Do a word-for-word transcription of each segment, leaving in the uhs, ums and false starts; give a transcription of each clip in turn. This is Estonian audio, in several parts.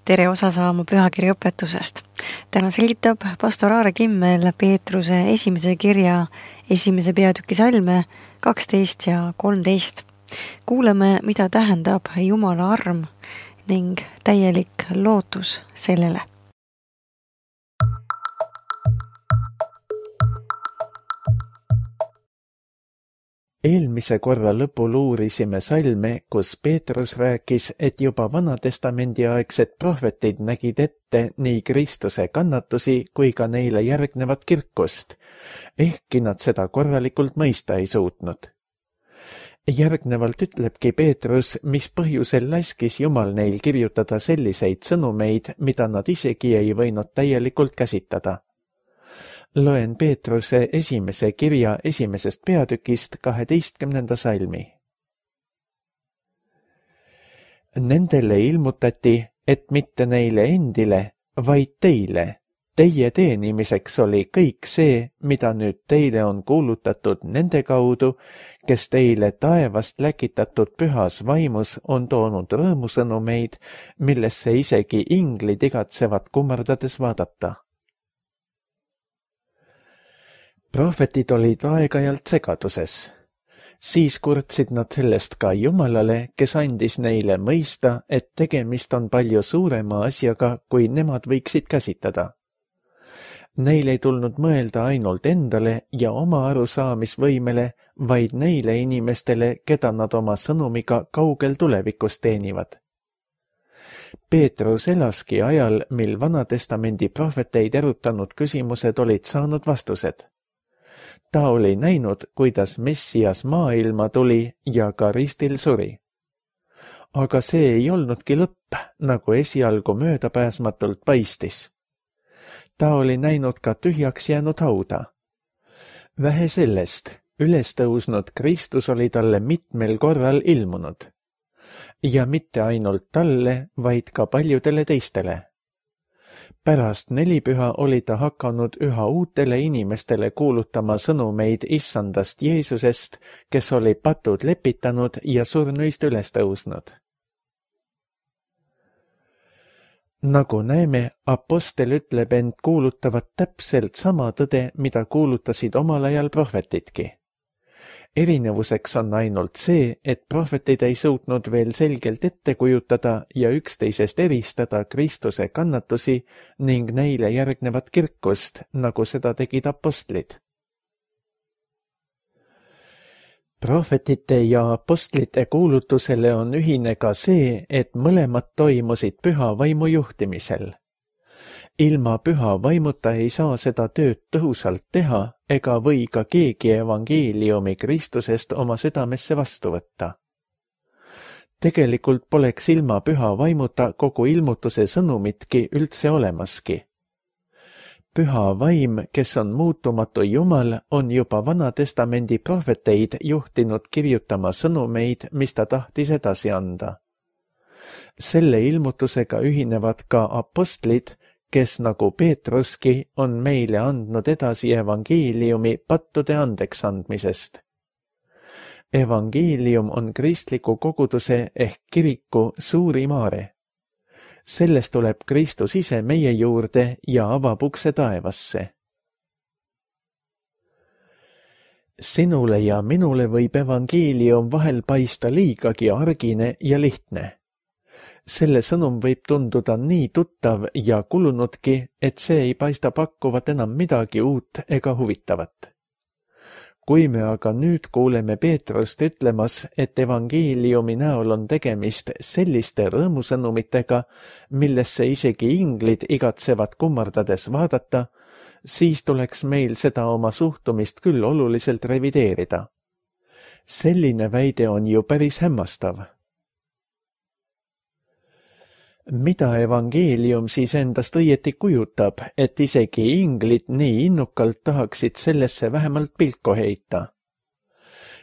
Tere osa saama pühakirja õpetusest. Täna selgitab pastor Aare Kimmel Peetruse esimese kirja esimese peatüki salme kaksteist ja kolmteist. Kuuleme, mida tähendab Jumala arm ning täielik lootus sellele. Eelmise korra lõpul uurisime salme, kus Peetrus rääkis, et juba Vana-testamendi aegsed prohvetid nägid ette nii Kristuse kannatusi kui ka neile järgnevat kirkust, ehkki nad seda korralikult mõista ei suutnud. Järgnevalt ütlebki Peetrus, mis põhjusel laskis Jumal neil kirjutada selliseid sõnumeid, mida nad isegi ei võinud täielikult käsitada. Loen Peetruse esimese kirja esimesest peatükist kaheteistkümnenda salmi. Nendele ilmutati, et mitte neile endile, vaid teile. Teie teenimiseks oli kõik see, mida nüüd teile on kuulutatud nende kaudu, kes teile taevast läkitatud pühas vaimus on toonud rõõmusõnumeid, millesse isegi inglid igatsevad kummardades vaadata. Prohvetid olid aeg-ajalt segaduses. Siis kurtsid nad sellest ka Jumalale, kes andis neile mõista, et tegemist on palju suurema asjaga, kui nemad võiksid käsitada. Neil ei tulnud mõelda ainult endale ja oma arusaamisvõimele, vaid neile inimestele, keda nad oma sõnumiga kaugel tulevikus teenivad. Peetrus elaski ajal, mil Vana-testamendi prohveteid erutanud küsimused olid saanud vastused. Ta oli näinud, kuidas Messias maailma tuli ja ka ristil suri. Aga see ei olnudki lõpp, nagu esialgu möödapääsmatult paistis. Ta oli näinud ka tühjaks jäänud hauda. Vähe sellest, ülestõusnud Kristus oli talle mitmel korral ilmunud. Ja mitte ainult talle, vaid ka paljudele teistele. Pärast nelipüha oli ta hakanud üha uutele inimestele kuulutama sõnumeid issandast Jeesusest, kes oli patud lepitanud ja surnuist üles tõusnud. Nagu näeme, apostel ütleb end kuulutavat täpselt sama tõde, mida kuulutasid omal ajal prohvetidki. Erinevuseks on ainult see, et prohvetid ei suutnud veel selgelt ette kujutada ja üksteisest eristada Kristuse kannatusi ning neile järgnevat kirkust, nagu seda tegid apostlid. Prohvetite ja apostlite kuulutusele on ühine ka see, et mõlemad toimusid püha vaimu juhtimisel. Ilma püha vaimuta ei saa seda tööd tõhusalt teha ega või ka keegi evangeeliumi Kristusest oma südamesse vastu võtta. Tegelikult poleks ilma püha vaimuta kogu ilmutuse sõnumitki üldse olemaski. Püha vaim, kes on muutumatu Jumal, on juba Vana-testamendi prohveteid juhtinud kirjutama sõnumeid, mis ta tahtis edasi anda. Selle ilmutusega ühinevad ka apostlid, kes nagu Peetruski on meile andnud edasi evangeeliumi pattude andeks andmisest. Evangeelium on kristliku koguduse ehk kiriku suurim aare. Sellest tuleb Kristus ise meie juurde ja avab ukse taevasse. Sinule ja minule võib evangeelium vahel paista liigagi argine ja lihtne. Selle sõnum võib tunduda nii tuttav ja kulunudki, et see ei paista pakkuvat enam midagi uut ega huvitavat. Kui me aga nüüd kuuleme Peetrust ütlemas, et evangeeliumi näol on tegemist selliste rõõmusõnumitega, millesse isegi inglid igatsevad kummardades vaadata, siis tuleks meil seda oma suhtumist küll oluliselt revideerida. Selline väide on ju päris hämmastav. Mida evangeelium siis endast õieti kujutab, et isegi inglid nii innukalt tahaksid sellesse vähemalt pilku heita?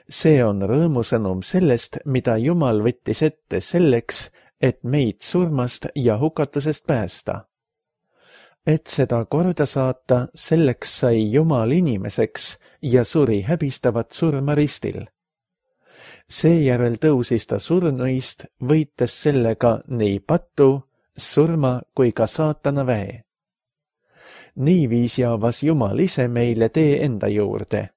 See on rõõmusõnum sellest, mida Jumal võttis ette selleks, et meid surmast ja hukatusest päästa. Et seda korda saata, selleks sai Jumal inimeseks ja suri häbistavat surma ristil. Seejärel tõusis ta surnuist, võites sellega nii pattu surma kui ka saatana väe. Niiviisi avas Jumal ise meile tee enda juurde.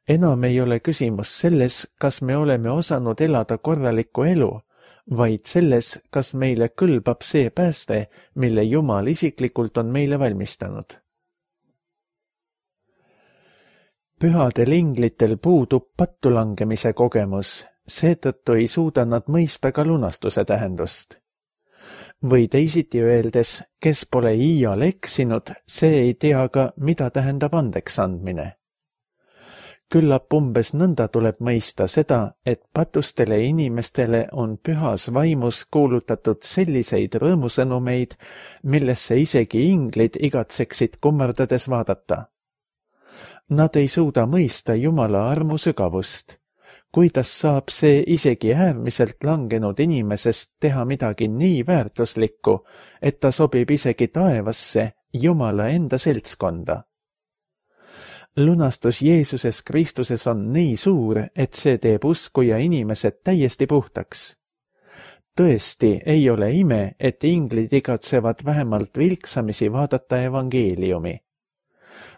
Enam ei ole küsimus selles, kas me oleme osanud elada korralikku elu, vaid selles, kas meile kõlbab see pääste, mille Jumal isiklikult on meile valmistanud. Pühadel inglitel puudub pattulangemise kogemus, seetõttu ei suuda nad mõista ka lunastuse tähendust. Või teisiti öeldes, kes pole iial eksinud, see ei tea ka, mida tähendab andeks andmine. Küllap umbes nõnda tuleb mõista seda, et patustele inimestele on pühas vaimus kuulutatud selliseid rõõmusõnumeid, millesse isegi inglid igatseksid kummardades vaadata. Nad ei suuda mõista Jumala armu sügavust. Kuidas saab see isegi äärmiselt langenud inimesest teha midagi nii väärtuslikku, et ta sobib isegi taevasse Jumala enda seltskonda? Lunastus Jeesuses Kristuses on nii suur, et see teeb uskuja inimesed täiesti puhtaks. Tõesti ei ole ime, et inglid igatsevad vähemalt vilksamisi vaadata evangeeliumi.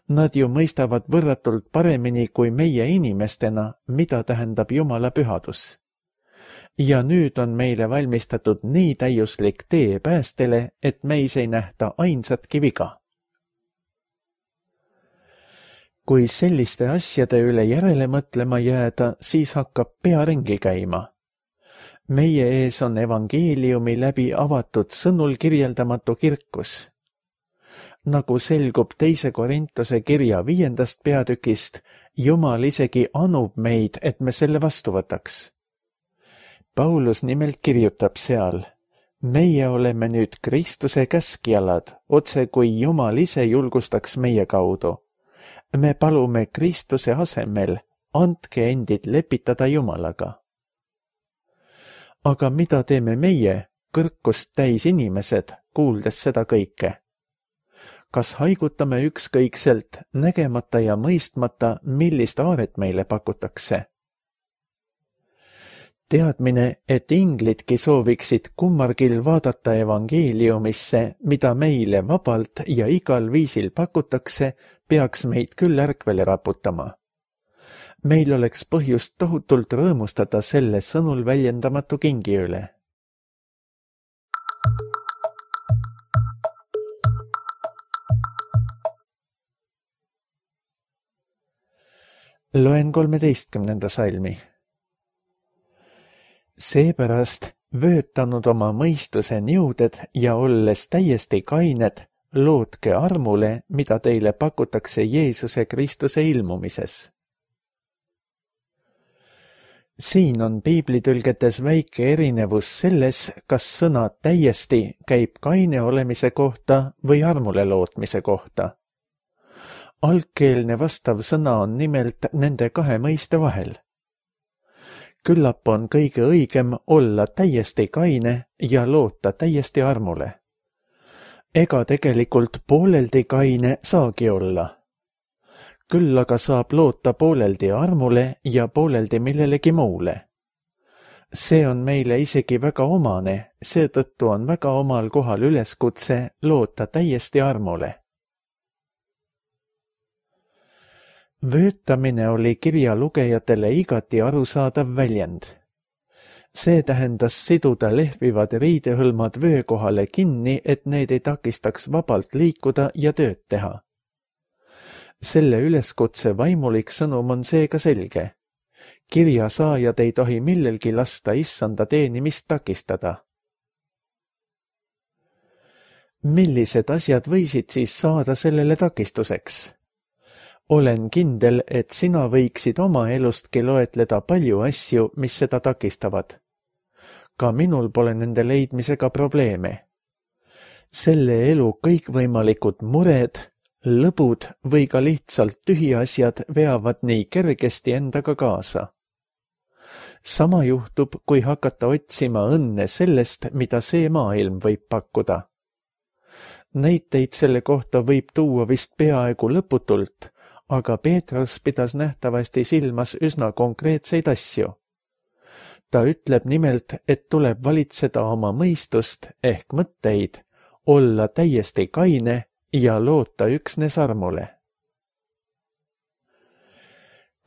Nad ju mõistavad võrratult paremini kui meie inimestena, mida tähendab Jumala pühadus. Ja nüüd on meile valmistatud nii täiuslik tee päästele, et meis ei nähta ainsatki viga. Kui selliste asjade üle järele mõtlema jääda, siis hakkab pea ringi käima. Meie ees on evangeeliumi läbi avatud sõnul kirjeldamatu kirkus. Nagu selgub teise Korintuse kirja viiendast peatükist, Jumal isegi anub meid, et me selle vastu võtaks. Paulus nimelt kirjutab seal, meie oleme nüüd Kristuse käskjalad, otse kui Jumal ise julgustaks meie kaudu. Me palume Kristuse asemel, andke endid lepitada Jumalaga. Aga mida teeme meie, kõrkust täis inimesed, kuuldes seda kõike? Kas haigutame ükskõikselt, nägemata ja mõistmata, millist aaret meile pakutakse? Teadmine, et inglidki sooviksid kummargil vaadata evangeeliumisse, mida meile vabalt ja igal viisil pakutakse, peaks meid küll ärkvele raputama. Meil oleks põhjust tohutult rõõmustada selle sõnul väljendamatu kingi üle. Loen kolmeteistkümnenda salmi. Seepärast vöötanud oma mõistuse niuded ja olles täiesti kained, lootke armule, mida teile pakutakse Jeesuse Kristuse ilmumises. Siin on piiblitülgetes väike erinevus selles, kas sõna täiesti käib kaine olemise kohta või armule lootmise kohta. Algkeelne vastav sõna on nimelt nende kahe mõiste vahel. Küllap on kõige õigem olla täiesti kaine ja loota täiesti armule. Ega tegelikult pooleldi kaine saagi olla. Küll aga saab loota pooleldi armule ja pooleldi millelegi muule. See on meile isegi väga omane, seetõttu on väga omal kohal üleskutse loota täiesti armule. Vöötamine oli kirja lugejatele igati arusaadav väljend. See tähendas siduda lehvivad riidehõlmad vöö kohale kinni, et need ei takistaks vabalt liikuda ja tööd teha. Selle üleskutse vaimulik sõnum on seega selge. Kirja saajad ei tohi millelgi lasta issanda teenimist takistada. Millised asjad võisid siis saada sellele takistuseks? Olen kindel, et sina võiksid oma elustki loetleda palju asju, mis seda takistavad. Ka minul pole nende leidmisega probleeme. Selle elu kõikvõimalikud mured, lõbud või ka lihtsalt tühiasjad veavad nii kergesti endaga kaasa. Sama juhtub, kui hakata otsima õnne sellest, mida see maailm võib pakkuda. Näiteid selle kohta võib tuua vist peaaegu lõputult, aga Peetrus pidas nähtavasti silmas üsna konkreetseid asju. Ta ütleb nimelt, et tuleb valitseda oma mõistust ehk mõtteid, olla täiesti kaine ja loota üksnes armule.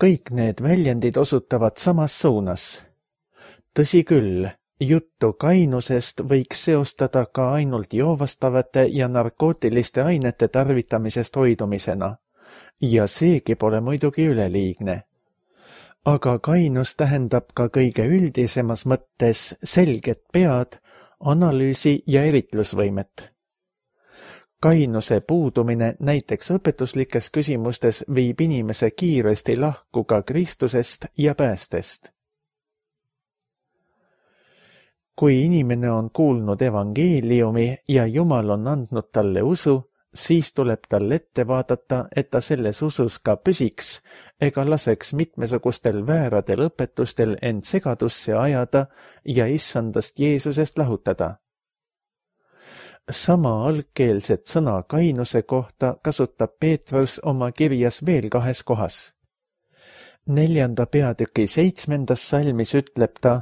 Kõik need väljendid osutavad samas suunas. Tõsi küll, juttu kainusest võiks seostada ka ainult joovastavate ja narkootiliste ainete tarvitamisest hoidumisena, ja seegi pole muidugi üleliigne. Aga kainus tähendab ka kõige üldisemas mõttes selget pead, analüüsi ja eritlusvõimet. Kainuse puudumine näiteks õpetuslikes küsimustes viib inimese kiiresti lahku ka Kristusest ja päästest. Kui inimene on kuulnud evangeeliumi ja Jumal on andnud talle usu, siis tuleb tal ette vaadata, et ta selles usus ka püsiks ega laseks mitmesugustel vääradel õpetustel end segadusse ajada ja issandast Jeesusest lahutada. Sama algkeelset sõna kainuse kohta kasutab Peetrus oma kirjas veel kahes kohas. Neljanda peatüki seitsmendas salmis ütleb ta,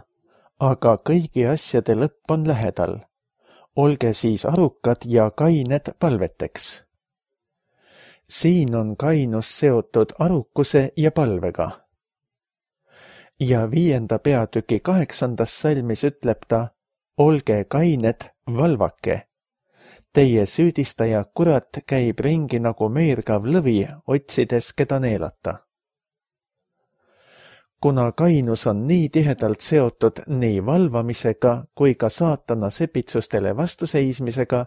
aga kõigi asjade lõpp on lähedal. Olge siis arukad ja kained palveteks. Siin on kainus seotud arukuse ja palvega. Ja viienda peatüki kaheksandas salmis ütleb ta, olge kained, valvake. Teie süüdistaja kurat käib ringi nagu meergav lõvi, otsides keda neelata. Kuna kainus on nii tihedalt seotud nii valvamisega kui ka saatana sepitsustele vastuseismisega,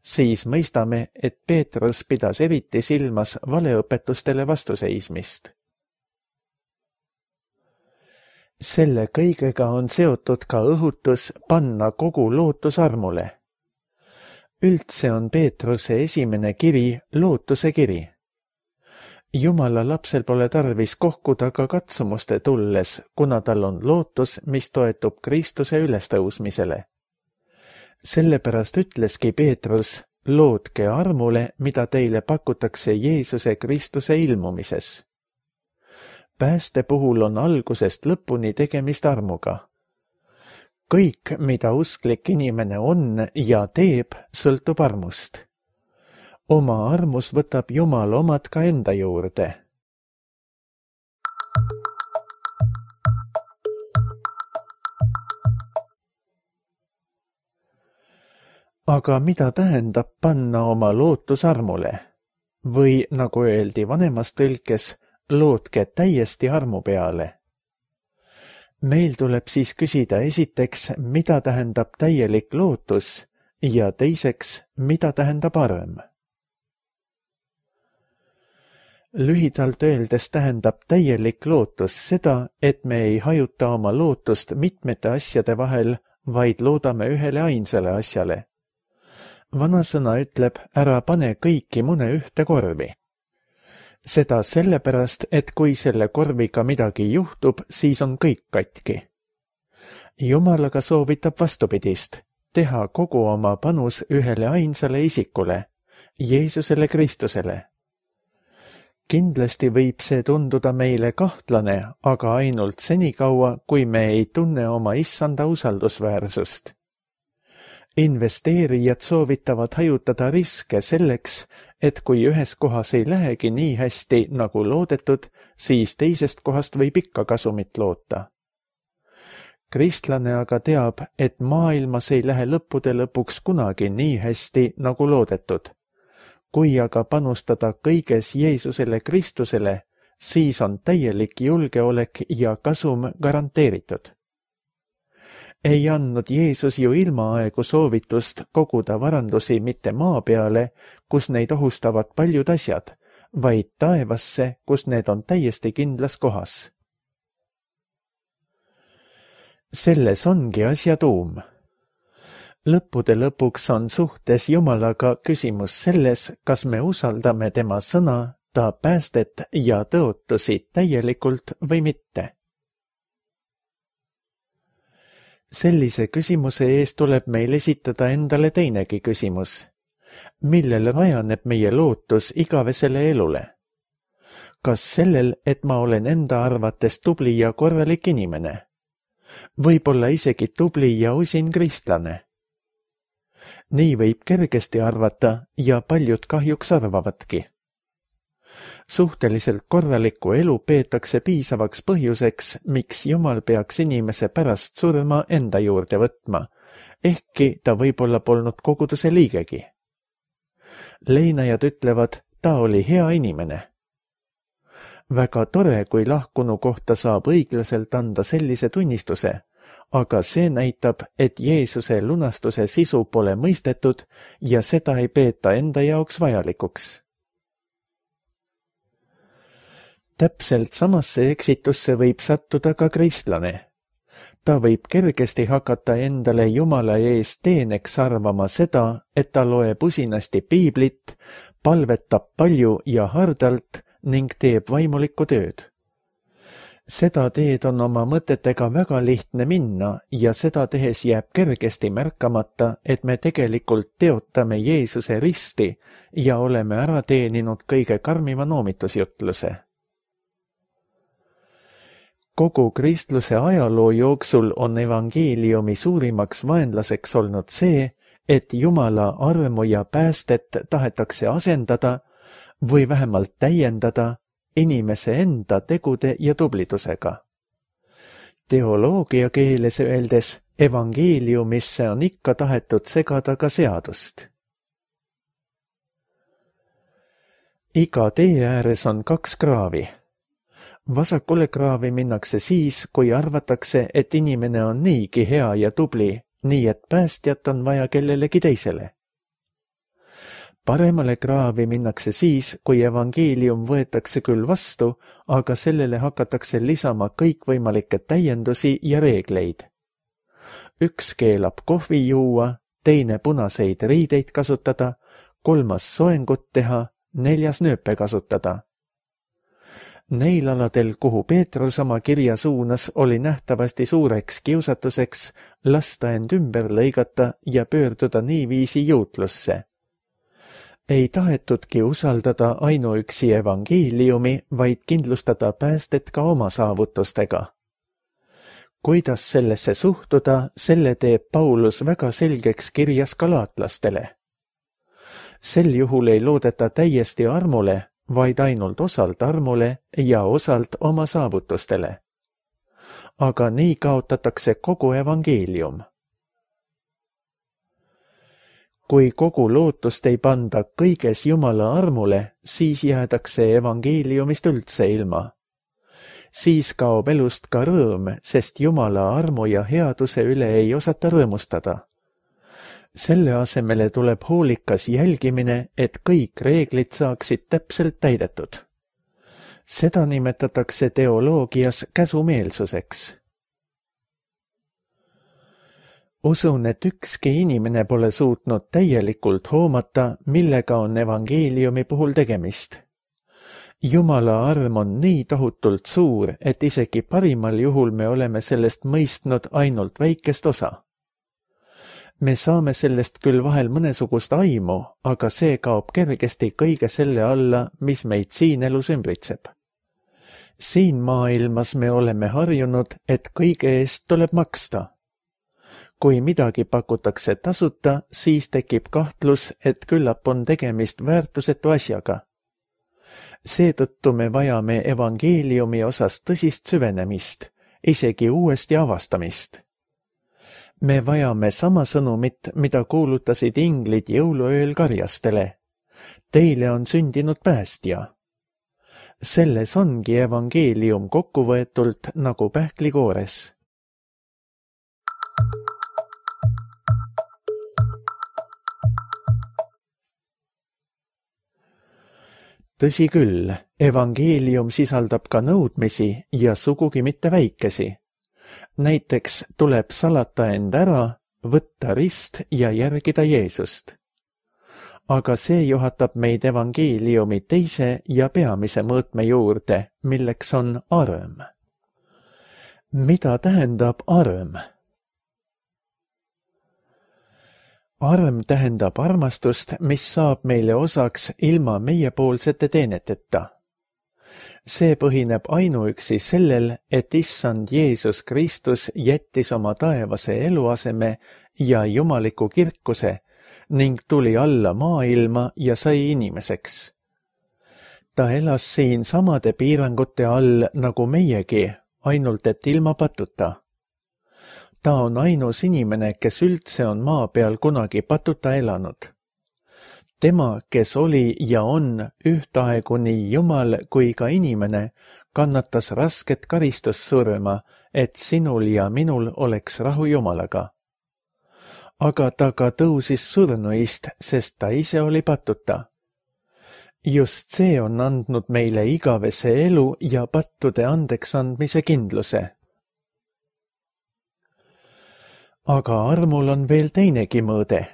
siis mõistame, et Peetrus pidas eriti silmas valeõpetustele vastuseismist. Selle kõigega on seotud ka õhutus panna kogu lootus armule. Üldse on Peetruse esimene kiri lootuse kiri. Jumala lapsel pole tarvis kohkuda ka katsumuste tulles, kuna tal on lootus, mis toetub Kristuse ülestõusmisele. Sellepärast ütleski Peetrus, lootke armule, mida teile pakutakse Jeesuse Kristuse ilmumises. Pääste puhul on algusest lõpuni tegemist armuga. Kõik, mida usklik inimene on ja teeb, sõltub armust. Oma armus võtab Jumal omad ka enda juurde. Aga mida tähendab panna oma lootus armule? Või, nagu öeldi vanemas tõlkes, lootke täiesti armu peale. Meil tuleb siis küsida esiteks, mida tähendab täielik lootus ja teiseks, mida tähendab arm. Lühidalt öeldes tähendab täielik lootus seda, et me ei hajuta oma lootust mitmete asjade vahel, vaid loodame ühele ainsale asjale. Vanasõna ütleb, ära pane kõiki mune ühte korvi. Seda sellepärast, et kui selle korviga midagi juhtub, siis on kõik katki. Jumal aga soovitab vastupidist, teha kogu oma panus ühele ainsale isikule, Jeesusele Kristusele. Kindlasti võib see tunduda meile kahtlane, aga ainult senikaua, kui me ei tunne oma issanda usaldusväärsust. Investeerijad soovitavad hajutada riske selleks, et kui ühes kohas ei lähegi nii hästi nagu loodetud, siis teisest kohast võib ikka kasumit loota. Kristlane aga teab, et maailmas ei lähe lõppude lõpuks kunagi nii hästi nagu loodetud. Kui aga panustada kõiges Jeesusele Kristusele, siis on täielik julgeolek ja kasum garanteeritud. Ei andnud Jeesus ju ilmaaegu soovitust koguda varandusi mitte maa peale, kus neid ohustavad paljud asjad, vaid taevasse, kus need on täiesti kindlas kohas. Selles ongi asja tuum. Lõppude lõpuks on suhtes Jumalaga küsimus selles, kas me usaldame tema sõna, ta päästet ja tõotusi täielikult või mitte. Sellise küsimuse ees tuleb meil esitada endale teinegi küsimus. Millel rajaneb meie lootus igavesele elule? Kas sellel, et ma olen enda arvates tubli ja korralik inimene? võib-olla isegi tubli ja usin kristlane. Nii võib kergesti arvata ja paljud kahjuks arvavadki. Suhteliselt korralikku elu peetakse piisavaks põhjuseks, miks Jumal peaks inimese pärast surma enda juurde võtma, ehkki ta võib-olla polnud koguduse liigegi. Leinajad ütlevad, ta oli hea inimene. Väga tore, kui lahkunu kohta saab õiglaselt anda sellise tunnistuse, aga see näitab, et Jeesuse lunastuse sisu pole mõistetud ja seda ei peeta enda jaoks vajalikuks. Täpselt samasse eksitusse võib sattuda ka kristlane. Ta võib kergesti hakata endale Jumala ees teeneks arvama seda, et ta loeb usinasti piiblit, palvetab palju ja hardalt ning teeb vaimulikku tööd. Seda teed on oma mõtetega väga lihtne minna ja seda tehes jääb kergesti märkamata, et me tegelikult teotame Jeesuse risti ja oleme ära teeninud kõige karmima noomitusjutluse. Kogu kristluse ajaloo jooksul on evangeeliumi suurimaks vaenlaseks olnud see, et Jumala armu ja päästet tahetakse asendada või vähemalt täiendada inimese enda tegude ja tublidusega. Teoloogia keeles öeldes evangeeliumisse on ikka tahetud segada ka seadust. Iga tee ääres on kaks kraavi. Vasakule kraavi minnakse siis, kui arvatakse, et inimene on niigi hea ja tubli, nii et päästjat on vaja kellelegi teisele. Paremale kraavi minnakse siis, kui evangeelium võetakse küll vastu, aga sellele hakatakse lisama kõikvõimalikke täiendusi ja reegleid. Üks keelab kohvi juua, teine punaseid riideid kasutada, kolmas soengut teha, neljas nööpe kasutada. Neil aladel, kuhu Peetrus oma kirja suunas, oli nähtavasti suureks kiusatuseks lasta end ümber lõigata ja pöörduda niiviisi juutlusse. Ei tahetudki usaldada ainuüksi evangeeliumi, vaid kindlustada päästet ka oma saavutustega. Kuidas sellesse suhtuda, selle teeb Paulus väga selgeks kirjas galaatlastele. Sel juhul ei loodeta täiesti armule, vaid ainult osalt armule ja osalt oma saavutustele. Aga nii kaotatakse kogu evangeelium. Kui kogu lootust ei panda kõiges Jumala armule, siis jäädakse evangeeliumist üldse ilma. Siis kaob elust ka rõõm, sest Jumala armu ja headuse üle ei osata rõõmustada. Selle asemele tuleb hoolikas jälgimine, et kõik reeglid saaksid täpselt täidetud. Seda nimetatakse teoloogias käsumeelsuseks. Usun, et ükski inimene pole suutnud täielikult hoomata, millega on evangeeliumi puhul tegemist. Jumala arm on nii tohutult suur, et isegi parimal juhul me oleme sellest mõistnud ainult väikest osa. Me saame sellest küll vahel mõnesugust aimu, aga see kaob kergesti kõige selle alla, mis meid siin elus ümbritseb. Siin maailmas me oleme harjunud, et kõige eest tuleb maksta. Kui midagi pakutakse tasuta, siis tekib kahtlus, et küllap on tegemist väärtusetu asjaga. Seetõttu me vajame evangeeliumi osas tõsist süvenemist, isegi uuesti avastamist. Me vajame sama sõnumit, mida kuulutasid inglid jõuluööl karjastele. Teile on sündinud päästja. Selles ongi evangeelium kokkuvõetult nagu pähklikoores. Tõsi küll, evangeelium sisaldab ka nõudmisi ja sugugi mitte väikesi. Näiteks tuleb salata end ära, võtta rist ja järgida Jeesust. Aga see juhatab meid evangeeliumi teise ja peamise mõõtme juurde, milleks on arm. Mida tähendab arm? Arm tähendab armastust, mis saab meile osaks ilma meiepoolsete teeneteta. See põhineb ainuüksi sellel, et issand Jeesus Kristus jättis oma taevase eluaseme ja jumaliku kirkuse ning tuli alla maailma ja sai inimeseks. Ta elas siin samade piirangute all nagu meiegi, ainult et ilma patuta. Ta on ainus inimene, kes üldse on maa peal kunagi patuta elanud. Tema, kes oli ja on ühtaegu nii Jumal kui ka inimene, kannatas rasket karistussurma, et sinul ja minul oleks rahu Jumalaga. Aga ta ka tõusis surnuist, sest ta ise oli patuta. Just see on andnud meile igavese elu ja pattude andeks andmise kindluse. Aga armul on veel teinegi mõõde.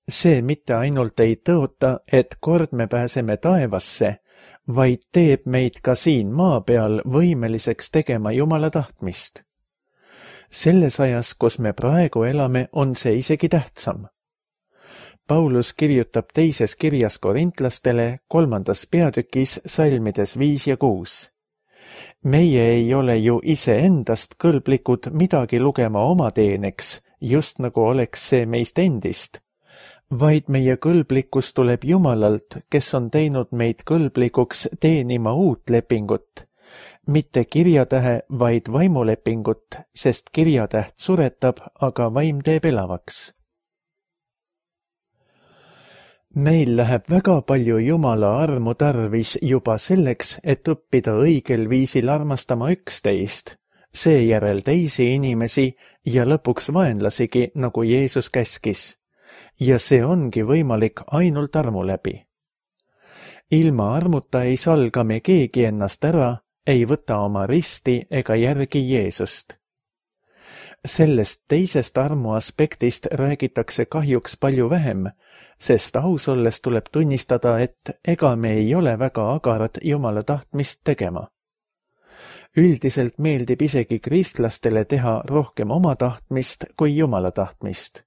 See mitte ainult ei tõota, et kord me pääseme taevasse, vaid teeb meid ka siin maa peal võimeliseks tegema Jumala tahtmist. Selles ajas, kus me praegu elame, on see isegi tähtsam. Paulus kirjutab teises kirjas korintlastele kolmandas peatükis salmides viis ja kuus. Meie ei ole ju iseendast kõlblikud midagi lugema oma teeneks, just nagu oleks see meist endist, vaid meie kõlblikkus tuleb Jumalalt, kes on teinud meid kõlblikuks teenima uut lepingut, mitte kirjatähe, vaid vaimulepingut, sest kirjatäht suretab, aga vaim teeb elavaks. Meil läheb väga palju Jumala armu tarvis juba selleks, et õppida õigel viisil armastama üksteist, seejärel teisi inimesi ja lõpuks vaenlasigi, nagu Jeesus käskis. Ja see ongi võimalik ainult armu läbi. Ilma armuta ei salga me keegi ennast ära, ei võta oma risti ega järgi Jeesust. Sellest teisest armu aspektist räägitakse kahjuks palju vähem, sest aus olles tuleb tunnistada, et ega me ei ole väga agarad Jumala tahtmist tegema. Üldiselt meeldib isegi kristlastele teha rohkem oma tahtmist kui Jumala tahtmist.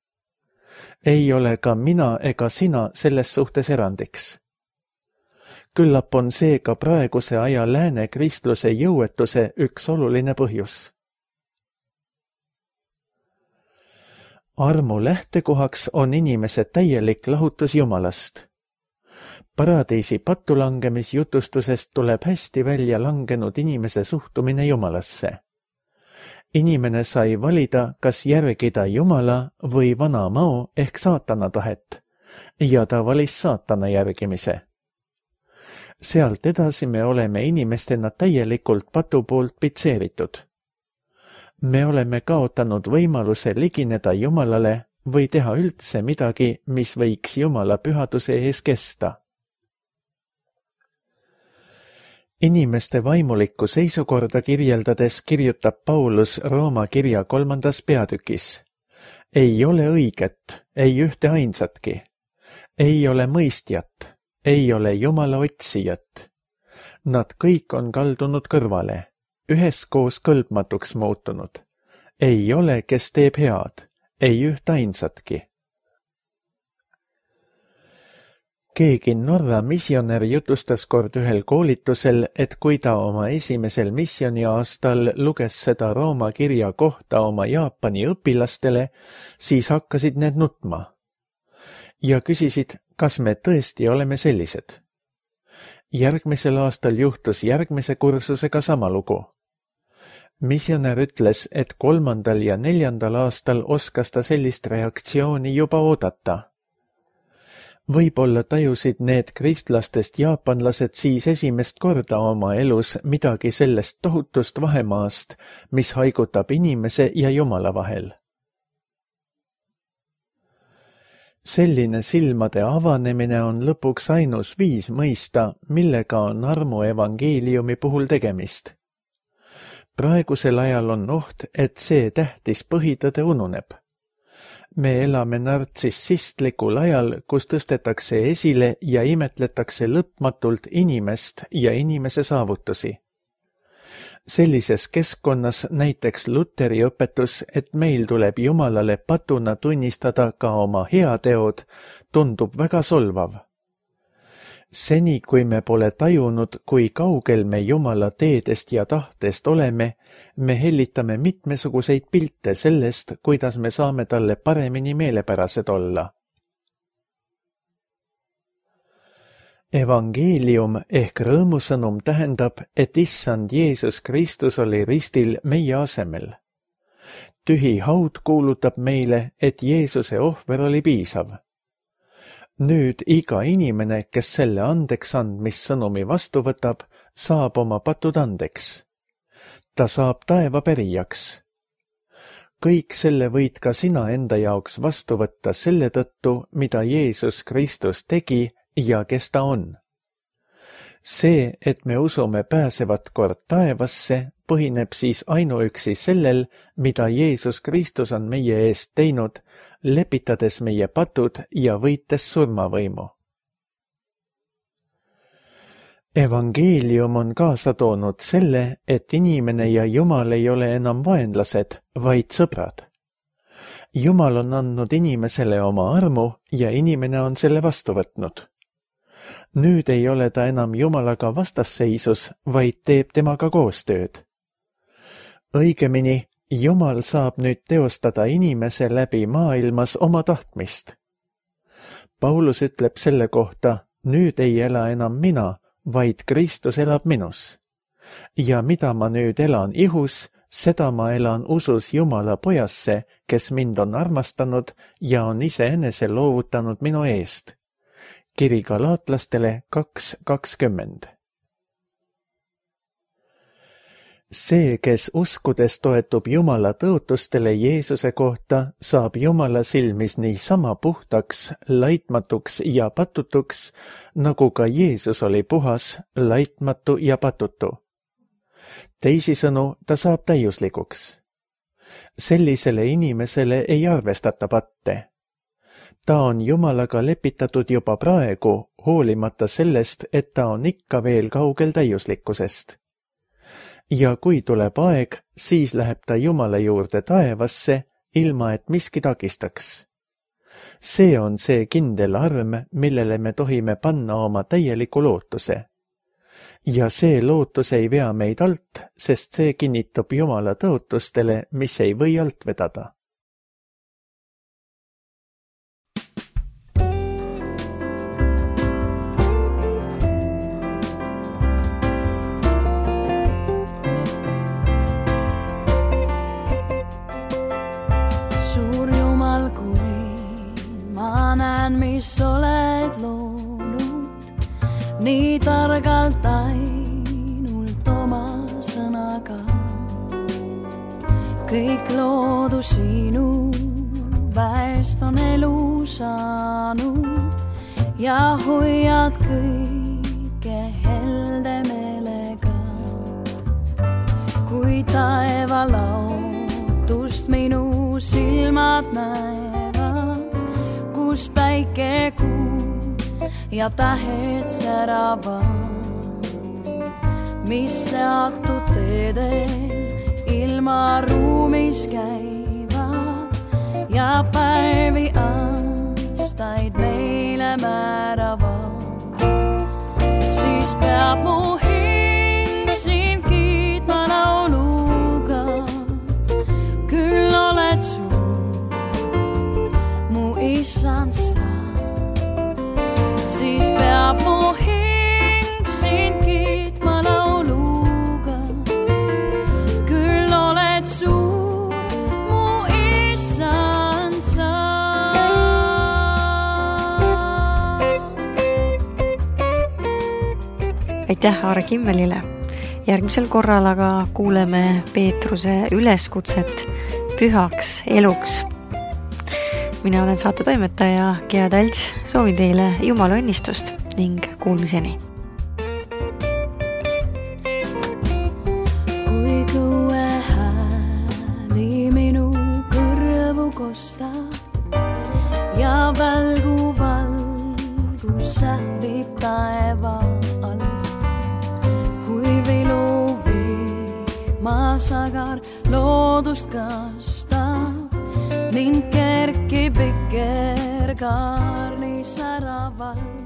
Ei ole ka mina ega sina selles suhtes erandiks. Küllap on see ka praeguse aja lääne kristluse jõuetuse üks oluline põhjus. Armu lähtekohaks on inimese täielik lahutus Jumalast. Paradiisi pattulangemisjutustusest tuleb hästi välja langenud inimese suhtumine Jumalasse. Inimene sai valida, kas järgida Jumala või vana mao ehk saatana tahet, ja ta valis saatana järgimise. Sealt edasi me oleme inimestena täielikult patu poolt pitseeritud. Me oleme kaotanud võimaluse ligineda Jumalale või teha üldse midagi, mis võiks Jumala pühaduse ees kesta. Inimeste vaimulikku seisukorda kirjeldades kirjutab Paulus Rooma kirja kolmandas peatükis. Ei ole õiget, ei ühte ainsatki. Ei ole mõistjat, ei ole Jumala otsijat. Nad kõik on kaldunud kõrvale, üheskoos kõlbmatuks muutunud. Ei ole, kes teeb head, ei ühte ainsatki. Keegi Norra missionär jutustas kord ühel koolitusel, et kui ta oma esimesel missioniaastal luges seda Rooma kirja kohta oma Jaapani õpilastele, siis hakkasid need nutma. Ja küsisid, kas me tõesti oleme sellised. Järgmisel aastal juhtus järgmise kursusega sama lugu. Missionär ütles, et kolmandal ja neljandal aastal oskas ta sellist reaktsiooni juba oodata. Võib-olla tajusid need kristlastest jaapanlased siis esimest korda oma elus midagi sellest tohutust vahemaast, mis haigutab inimese ja Jumala vahel. Selline silmade avanemine on lõpuks ainus viis mõista, millega on armu evangeeliumi puhul tegemist. Praegusel ajal on oht, et see tähtis põhitõde ununeb. Me elame nartsissistlikul ajal, kus tõstetakse esile ja imetletakse lõpmatult inimest ja inimese saavutusi. Sellises keskkonnas näiteks Luteri õpetus, et meil tuleb Jumalale patuna tunnistada ka oma heateod, tundub väga solvav. Seni, kui me pole tajunud, kui kaugel me Jumala teedest ja tahtest oleme, me hellitame mitmesuguseid pilte sellest, kuidas me saame talle paremini meelepärased olla. Evangeelium ehk rõõmusõnum tähendab, et issand Jeesus Kristus oli ristil meie asemel. Tühi haud kuulutab meile, et Jeesuse ohver oli piisav. Nüüd iga inimene, kes selle andeks andmissõnumi vastu võtab, saab oma patud andeks. Ta saab taeva pärijaks. Kõik selle võid ka sina enda jaoks vastu võtta selle tõttu, mida Jeesus Kristus tegi ja kes ta on. See, et me usume pääsevat kord taevasse, põhineb siis ainuüksi sellel, mida Jeesus Kristus on meie eest teinud, lepitades meie patud ja võites surmavõimu. Evangeelium on kaasa toonud selle, et inimene ja Jumal ei ole enam vaenlased, vaid sõbrad. Jumal on andnud inimesele oma armu ja inimene on selle vastu võtnud. Nüüd ei ole ta enam Jumalaga vastasseisus, vaid teeb temaga koostööd. Õigemini, Jumal saab nüüd teostada inimese läbi maailmas oma tahtmist. Paulus ütleb selle kohta, nüüd ei ela enam mina, vaid Kristus elab minus. Ja mida ma nüüd elan ihus, seda ma elan usus Jumala pojasse, kes mind on armastanud ja on iseenese loovutanud minu eest. Kiri galaatlastele kaks kakskümmend. See, kes uskudes toetub Jumala tõotustele Jeesuse kohta, saab Jumala silmis nii sama puhtaks, laitmatuks ja patutuks, nagu ka Jeesus oli puhas, laitmatu ja patutu. Teisisõnu, ta saab täiuslikuks. Sellisele inimesele ei arvestata patte. Ta on Jumalaga lepitatud juba praegu, hoolimata sellest, et ta on ikka veel kaugel täiuslikkusest. Ja kui tuleb aeg, siis läheb ta Jumala juurde taevasse, ilma et miski takistaks. See on see kindel arm, millele me tohime panna oma täieliku lootuse. Ja see lootus ei vea meid alt, sest see kinnitab Jumala tõotustele, mis ei või alt vedada. Mis oled loonud, nii targalt ainult oma sõnaga. Kõik loodu sinu väest on elu saanud ja hoiad kõike helde meelega. Kui taeva laotust minu silmad näevad, kus päike, kuu ja tähed säravad, mis seatud teedel ilma ruumis käivad ja päevi aastaid meile määravad, siis peab mu hing sind kiitma lauluga. Küll oled suur, mu issand sa, siis peab mu hing sind kiitma lauluga. Küll oled suur, mu issand sa. Aitäh Aare Kimmelile. Järgmisel korral aga kuuleme Peetruse üleskutset pühaks eluks. Mina olen saate toimetaja Gea Talts, soovin teile Jumala õnnistust ning kuulmiseni. Kui kõue hääli minu kõrvu kostab ja välgu valgus sähvib taeva alt, kui vilu vihmasagar loodust kastab, mind kerkib vikerkaarni säraval.